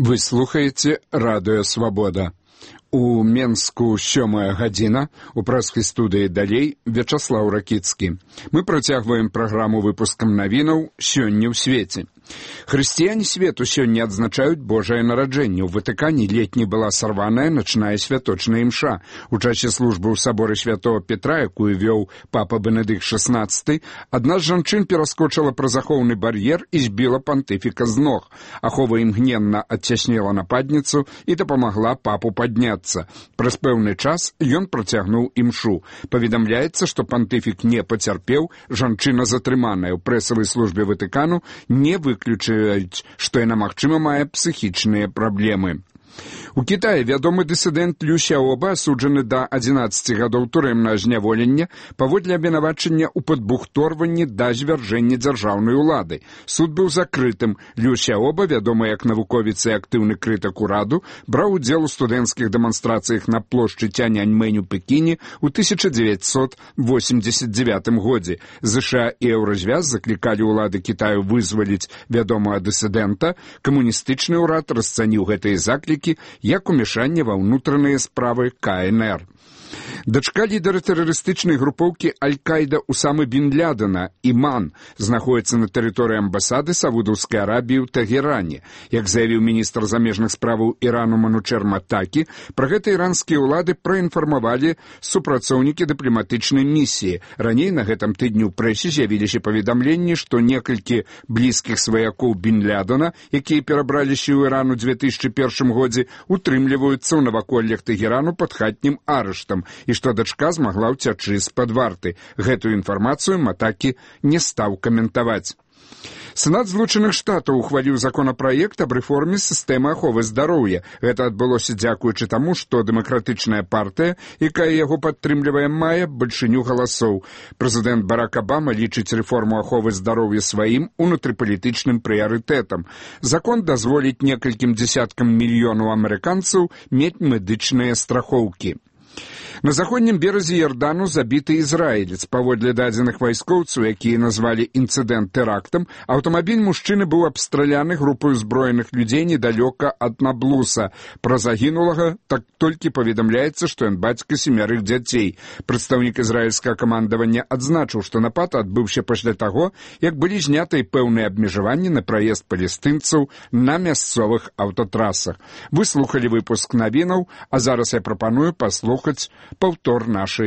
Вы слухаеце радыё «Свабода». У Менску 7 гадзіна, у прэскай студыі далей Вячаслаў Ракіцкі. Мы працягваем праграму выпускам навінаў «Сёння ў свеце». Хрысціяне свету сёння адзначаюць Божае нараджэнне. У Ватыкане летні была сарваная начная святочная імша. У часе службы ў саборы святого Петра, якую вёў папа Бенедыкт XVI, адна з жанчын пераскочыла праз ахоўны бар'ер і збіла пантыфіка з ног. Ахова імгненна адцяснела нападніцу і дапамагла папу падняцца. Праз пэўны час ён працягнуў імшу. Паведамляецца, што пантыфік не пацярпеў, жанчына затрыманая. У прэсавай службе Ватыкану не выключаюць, што яна, магчыма, мае псіхічныя праблемы. У Кітаі вядомы дысідэнт Лю Сяоба асуджаны да 11 гадоў турэмнага зняволення паводле абвінавачання ў падбухторванні да звяржэння дзяржаўнай улады. Суд быў закрытым. Лю Сяоба, вядомы як навуковец і актыўны крытык ураду, браў удзел у студэнцкіх дэманстрацыях на плошчы Цяньаньмэнь у Пекіне ў 1989 годзе. ЗША і Еўразвяз заклікалі ўлады Кітаю вызваліць вядомага дысідэнта. Камуністычны ўрад расцаніў гэтыя заклікі як умешанне ва ўнутраныя справы КНР. Дачка лідара тэрарыстычнай групоўкі Аль-Каіда Усамы бін Лядена, Іман, знаходіцца на тэрыторыі амбасады Саудаўскай Арабіі ў Тагеране. Як заявіў міністр замежных справаў Ірану Манучер Матакі, пра гэта іранскія ўлады праінфармавалі супрацоўнікі дыпламатычнай місіі. Раней на гэтым тыдні ў прэсе з'явіліся паведамленні, што некалькі блізкіх сваякоў бін Лядена, якія перабраліся ў Іран у 2001 годзе, утрымліваюцца ў наваколлях Тагерану пад хатнім арыштам, і што дачка змагла ўцячы з-пад варты. Гэтую інфармацыю Матакі не стаў каментаваць. Сенат Злучаных Штатаў ухваліў законапраект аб рэформе сістэмы аховы здароўя. Гэта адбылося дзякуючы таму, што дэмакратычная партыя, якая яго падтрымлівае, мае бальшыню галасоў. Прэзідэнт Барак Абама лічыць рэформу аховы здароўя сваім унутрыпалітычным прыярытэтам. Закон дазволіць некалькім дзесяткам мільёнаў амерыканцаў мець медычныя страхоўкі. На заходнім беразе Ярдану забіты ізраілец. Паводле дадзеных вайскоўцаў, якія назвалі інцыдэнт тэрактам, аўтамабіль мужчыны быў абстраляны групай узброеных людзей недалёка ад Наблуса. Пра загінулага так толькі паведамляецца, што ён бацька 7 дзяцей. Прадстаўнік ізраільскага камандавання адзначыў, што напад адбыўся пасля таго, як былі знятыя пэўныя абмежаванні на праезд палестынцаў на мясцовых аўтатрасах. Вы слухалі выпуск навінаў, а зараз я прапаную паслухаць паўтор нашай